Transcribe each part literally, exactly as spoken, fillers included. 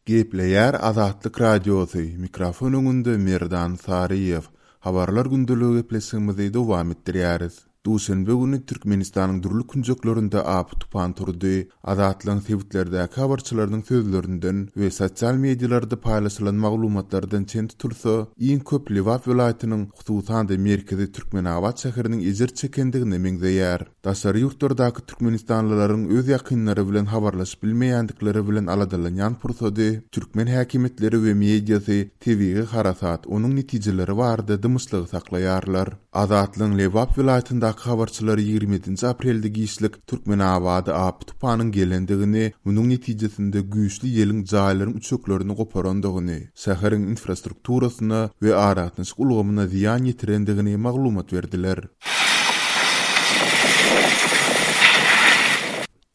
Gepleýär Azatlyk Radiosy, mikrofon öňünde Merdan Saryýew. Habarlar gündeligi gepleşigimizi dowam etdirýäris. Duşenbe güni Türkmenistanyň dürli künjeklerinde apy-tupan turdy. Azatlygyň sebitlerdäki habarçylarynyň sözlerinden we sosial medialarda paýlaşylan maglumatlardan çen tutulsa, iň köp Lebap welaýatynyň, hususan-da merkezi Türkmenabat şäheriniň ejir çekendigine meňzeýär. Daşary ýurtlardaky türkmenistanlylaryň öz ýakynlary bilen habarlaşyp bilmeýändikleri bilen aladalanýan pursady türkmen häkimiýetleri we mediasy tebigy harasat, onuň netijeleri barada dymyşlygy saklaýarlar. Azatlygyň Lebap welaýatyndaky habarçylary ýigrimi ýedinji aprelde giçlik Türkmenabada apy-tupanyň gelendigini, munuň netijesinde güýçli ýeliň jaýlaryň üçeklerini goparandygyny, şäheriň infrastrukturasyna we aragatnaşyk ulgamyna zyýan ýetirendigini maglumat berdiler.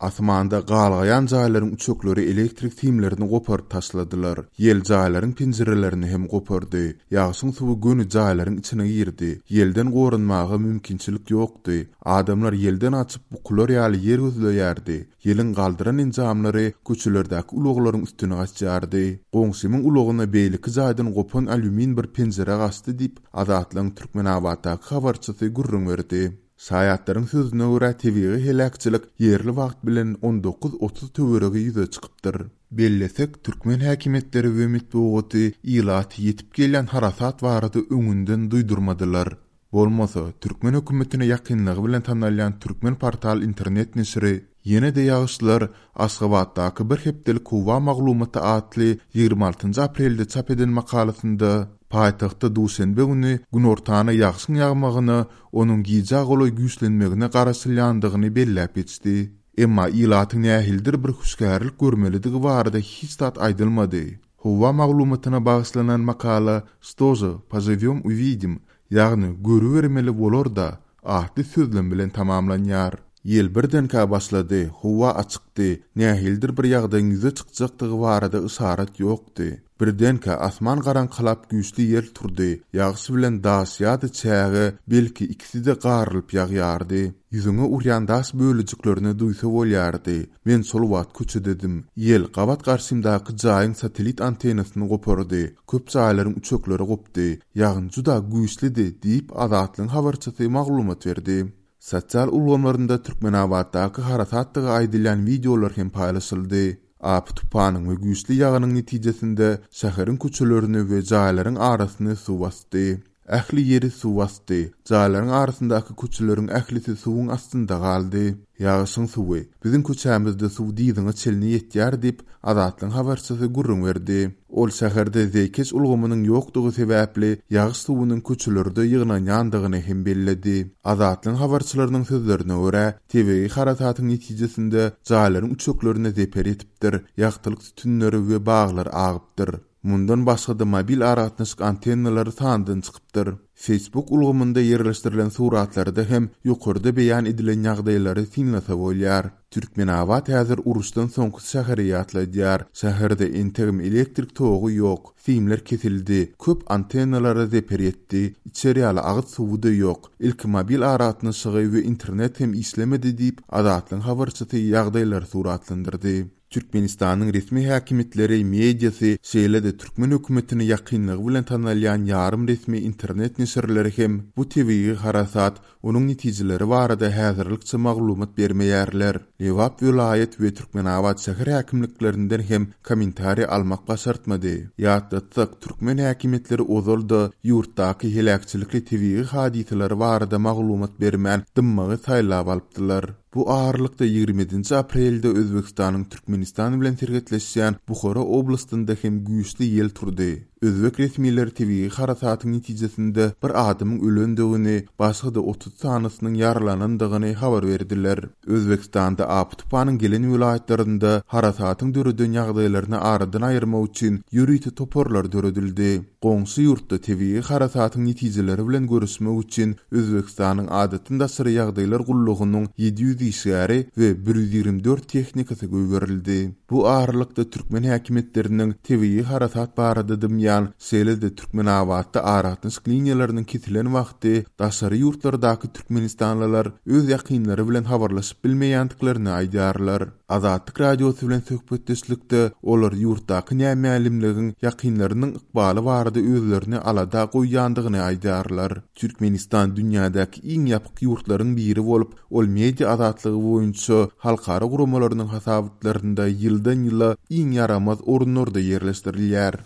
Asmanda galgaýan jaýlaryň üçekleri elektrik simlerini goparyp taşladylar. Ýel jaýlaryň penjirelerini hem gopardy. Ýagşyň suwy göni jaýlaryň içine girdi. Ýelden goranmaga mümkinçilik ýokdy. Adamlar ýelden açyp bukular ýaly ýer gözleýärdi. Ýeliň galdyran enjamlary köçelerdäki ulaglaryň üstüne gaçýardy. Goňşymyň ulagyna beýleki jaýdan gopan alýumin bir penjire gaçdy diýip, Azatlygyň Türkmenabatdaky habarçysy gürrüň berdi. Şaýatlaryň sözüne görä tebigy heläkçilik ýerli wagt bilen on dokuz otuz töweregi ýüze çykypdyr. Bellesek, türkmen häkimiýetleri we metbugaty ilaty ýetip gelýän harasat barada öňünden duýdurmadylar. Bolmasa, türkmen hökümetine ýakynlygy bilen tanalýan Türkmen portal internet neşiri ýene-de ýagyşlar Aşgabatdaky bir hepdelik howa maglumaty atly ýigrimi altynjy aprelde çap eden makalasynda paýtagtda duşenbe güni günortana ýagşyň ýagmagyna, onuň gijä golaý güýçlenmegine garaşylýandygyny belläp geçdi. Emma ilatyň nähilidir bir hüşgärlik görmelidigi barada hiç zat aýdylmady. Howa maglumatyna bagyşlanan makala "Что же, поживем увидим", ýagny görübermeli bolar-da atly sözlem bilen tamamlanýar. Ýel birdenkä başlady, howa açykdy, nähilidir bir ýagdaýyň ýüze çykjakdygy barada yşarat ýokdy. Birdenkä asman garaňkylap güýçli ýel turdy, ýagyş bilen daş ýa-da çäge, belki ikisi-de garylyp ýagýardy. Ýüzüňe urýan daş bölejiklerini duýsa bolýardy. Men şol wagt köçededim. Ýel gabat garşymdaky jaýyň satellit antennasyny gopardy. Köp jaýlaryň üçekleri gopdy. Ýagyn juda güýçlidi diýip Azatlygyň habarçysy maglumat berdi. Sosial ulgamlarynda Türkmenabatdaky harasatdygy aýdylýan wideolar hem paýlaşyldy. Apy-tupanyň we güýçli ýagynyň netijesinde şäheriň köçelerini we jaýlaryň arasyny suw basdy. Ähli ýeri suw basdy. Jaýlaryň arasyndaky köçeleriň ählisi suwuň astynda galdy. Ýagyşyň suwy biziň köçämizde suw dyzyňa çenli ýetýär diýip Azatlygyň habarçysy gürrüň berdi. Ol şäherde zeýkeş ulgamynyň ýokdugy sebäpli ýagyş suwunyň köçelerde ýygnanýandygyny hem belledi. Azatlygyň habarçylarynyň sözlerine görä, tebigy harasatyň netijesinde jaýlaryň üçeklerine zeper ýetipdir, ýagtylyk sütünleri we baglar agypdyr. Mundan başga-da mobil aragatnaşyk antennalary sandan çykypdyr. Facebook ulgamynda ýerleşdirilen suratlarda hem ýokarda beýan edilen ýagdaýlary synlasa bolýar. Türkmenabat häzir uruşdan soňky şäheri ýatladýar. Şäherde entegem elektrik togy ýok, simler kesildi, köp antennalara zeper ýetdi, içer ýaly agyz suwy-da ýok. Ilki mobil aragatnaşygy we internet hem işlemedi diýip Azatlygyň habarçysy ýagdaýlary suratlandyrdy. Türkmenistanyň resmi häkimiýetleri, mediasy, şeýle-de türkmen hökümetine ýakynlygy bilen tanalýan ýarym resmi internet neşirleri hem bu tebigy harasat, onuň netijeleri barada häzirlikçe maglumat bermeýärler. Lebap welaýat we Türkmenabat şäher häkimliklerinden hem kommentariý almak başartmady. Ýatlatsak, türkmen häkimiýetleri ozal-da ýurtdaky heläkçilikli tebigy hadysalary barada maglumat bermän dymmagy saýlap alypdylar. Bu aralykda ýigrimi ýedinji aprelde Özbekistanyň Türkmenistan bilen serhetleşýän Buhara oblastynda hem güýçli ýel turdy. Özbek resmileri tebigy harasatyň netijesinde bir adamyň ölendigini, başga-da otuz sanysynyň ýaralanandygyny habar berdiler. Özbekistanda apy-tupanyň gelen welaýatlarynda harasatyň döreden ýagdaýlaryny aradan aýyrmak üçin ýörite toparlar döredildi. Goňşy ýurtda tebigy harasatyň netijeleri bilen görüşmek üçin Özbekistanyň adatdan daşary ýagdaýlar gullugynyň ýedi ýüz işgäri we bir ýüz ýigrimi dört tehnikasy goýberildi. Bu aralykda türkmen häkimiýetleriniň tebigy harasat barada dymýan galýan, şeýle-de Türkmenabatda aragatnaşyk liniýalarynyň kesilen wagty daşary ýurtlardaky türkmenistanlylar öz ýakynlary bilen habarlaşyp bilmeýändiklerini aýdýarlar. Azatlyk Radiosy bilen söhbetdeşlikde olar ýurtdaky nämälimligiň ýakynlarynyň ykbaly barada özlerini alada goýýandygyny aýdýarlar. Türkmenistan dünýädäki iň ýapyk ýurtlaryň biri bolup, ol media azatlygy boýunça halkara guramalarynyň hasabatlarynda ýyldan-ýyla iň ýaramaz orunlarda ýerleşdirilýär.